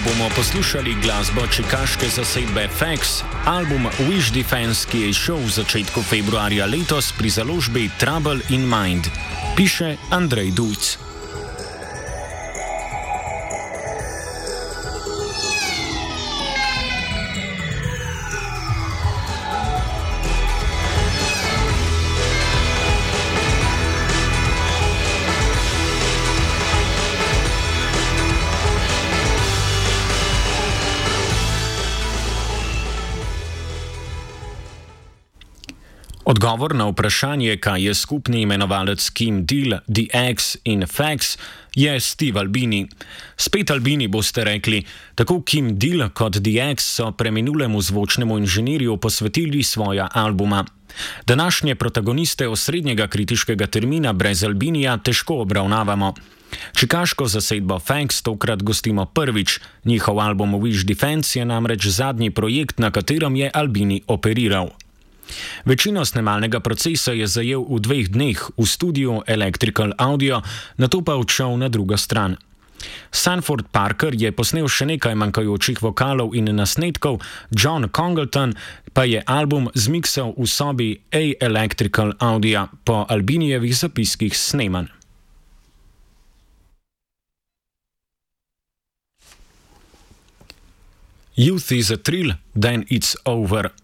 bomo poslušali glasbo čikaške zasedbe Fax, album Wish Defense, ki je izšel v začetku februarja letos pri založbi Trouble in Mind, piše Andrej Dujc. Odgovor na vprašanje, kaj je skupni imenovalec Kim Deal, The X in Fax, je Steve Albini. Spet Albini boste rekli, tako Kim Deal kot The X so preminulemu zvočnemu inženirju posvetili svoja albuma. Današnje protagoniste osrednjega kritiškega termina brez Albinija težko obravnavamo. Čikaško zasedbo Fax tokrat gostimo prvič, njihov album Wish Defense je namreč zadnji projekt, na katerem je Albini operiral. Večino snemalnega procesa je zajel v 2 dneh v studiu Electrical Audio, nato pa odšel na drugo stran. Sanford Parker je posnel še nekaj manjkajočih vokalov in nasnetkov, John Congleton pa je album zmiksal v sobi A Electrical Audio po Albinijevih zapiskih snemanj. Youth is a thrill, then it's over.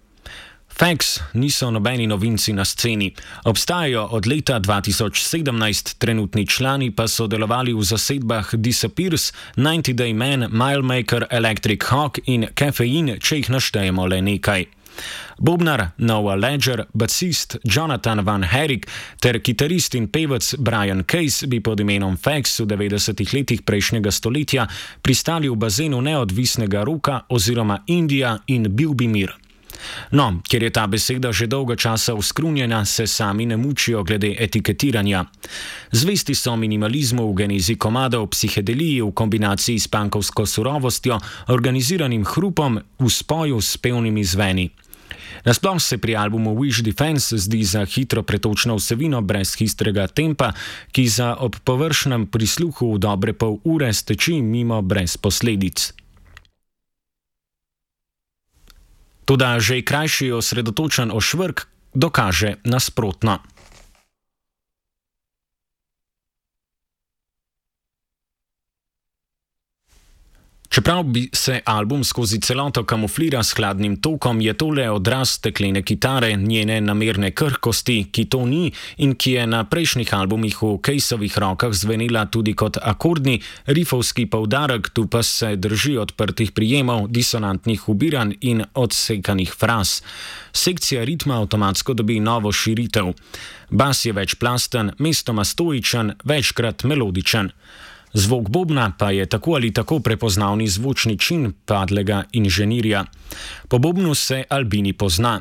Fax niso nobeni novinci na sceni. Obstajajo od leta 2017, trenutni člani pa so delovali v zasedbah Disappears, 90 Day Man, Milemaker, Electric Hawk in Caffeine, če jih naštejemo le nekaj. Bobnar Noah Ledger, basist Jonathan Van Herrick ter kitarist in pevec Brian Case bi pod imenom Fax v 90-ih letih prejšnjega stoletja pristali v bazenu neodvisnega roka oziroma Indija in bil bi mir. No, ker je ta beseda že dolgo časa uskrunjena, se sami ne mučijo glede etiketiranja. Zvesti so minimalizmu v genezi komadov, psihedeliji v kombinaciji s punkovsko surovostjo, organiziranim hrupom v spoju s pevnimi zveni. Nasploh se pri albumu Wish Defense zdi za hitro pretočno vsebino brez histrega tempa, ki za ob površnem prisluhu v dobre pol ure steči mimo brez posledic. Toda že krajši osredotočen ošvrk dokaže nasprotno. Čeprav bi se album skozi celoto kamuflira s hladnim tokom, je tole odraz steklene kitare, njene namerne krhkosti, ki to ni in ki je na prejšnjih albumih v Caseovih rokah zvenela tudi kot akordni, rifovski poudarek, tu pa se drži odprtih prijemov, disonantnih ubiranj in odsekanih fraz. Sekcija ritma avtomatsko dobi novo širitev. Bas je večplasten, mestoma stoičen, večkrat melodičen. Zvok bobna pa je tako ali tako prepoznavni zvočni čin padlega inženirja. Po bobnu se Albini pozna.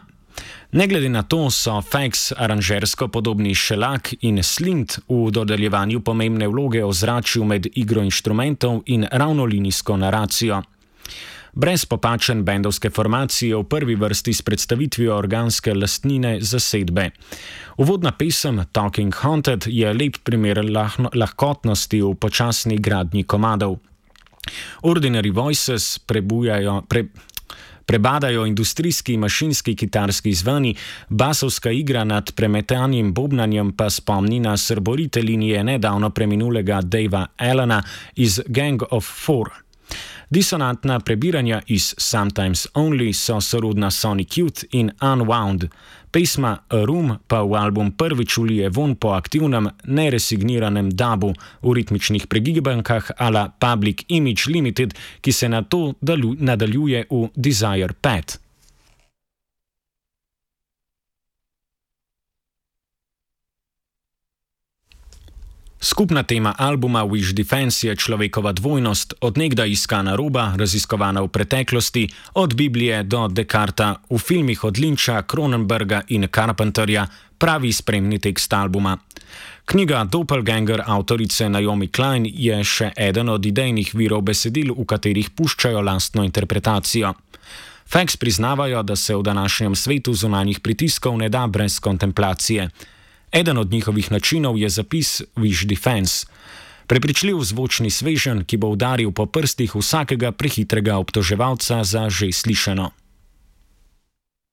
Ne glede na to so Fax aranžersko podobni Shellac in Slint v dodeljevanju pomembne vloge ozračju med igro inštrumentov in ravnolinijsko naracijo. Brez popačen bendovske formacije v prvi vrsti s predstavitvijo organske lastnine zasedbe. Uvodna pesem Talking Haunted je lep primer lahkotnosti v počasni gradnji komadov. Ordinary Voices prebadajo industrijski mašinski kitarski zveni, basovska igra nad premetanjem bobnanjem pa spomni na srborite linije nedavno preminulega Davea Allena iz Gang of Four. Disonantna prebiranja iz Sometimes Only so sorodna Sonic Youth in Unwound. Pesma A Room pa v album prvič ulije von po aktivnem, neresigniranem dubu v ritmičnih pregibankah a la Public Image Limited, ki se na to nadaljuje v Desire Pad. Skupna tema albuma Wish Defense je človekova dvojnost, od nekdaj iskana roba, raziskovana v preteklosti, od Biblije do Descarta, v filmih od Lyncha, Cronenberga in Carpenterja, pravi spremni tekst albuma. Knjiga Doppelganger avtorice Naomi Klein je še eden od idejnih virov besedil, v katerih puščajo lastno interpretacijo. Fax priznavajo, da se v današnjem svetu zunanjih pritiskov ne da brez kontemplacije. Eden od njihovih načinov je zapis Wish Defense. Prepričljiv zvočni sveženj, ki bo udaril po prstih vsakega prehitrega obtoževalca za že slišano.